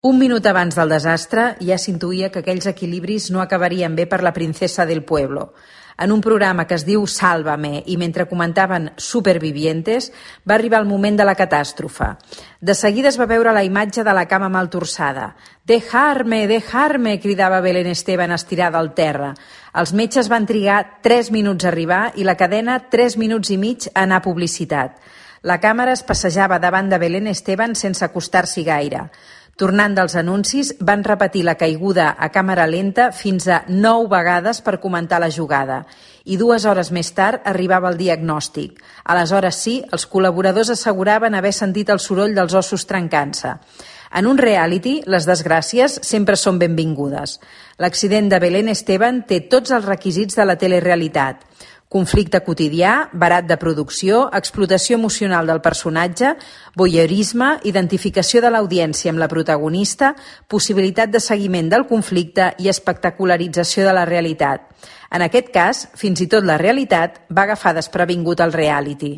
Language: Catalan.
Un minut abans del desastre ja s'intuïa que aquells equilibris no acabarien bé per la princesa del pueblo. En un programa que es diu Sálvame i mentre comentaven Supervivientes va arribar el moment de la catàstrofe. De seguida es va veure la imatge de la cama mal torçada. «Dejarme, dejarme!» cridava Belén Esteban estirada al terra. Els metges van trigar 3 minuts a arribar i la cadena 3 minuts i mig a anar a publicitat. La càmera es passejava davant de Belén Esteban sense acostar-s'hi gaire. Tornant dels anuncis, van repetir la caiguda a càmera lenta fins a 9 vegades per comentar la jugada. I 2 hores més tard arribava el diagnòstic. Aleshores sí, els col·laboradors asseguraven haver sentit el soroll dels ossos trencant-se. En un reality, les desgràcies sempre són benvingudes. L'accident de Belén Esteban té tots els requisits de la telerealitat. Conflicte quotidià, barat de producció, explotació emocional del personatge, voyeurisme, identificació de l'audiència amb la protagonista, possibilitat de seguiment del conflicte i espectacularització de la realitat. En aquest cas, fins i tot la realitat va agafar desprevingut el reality.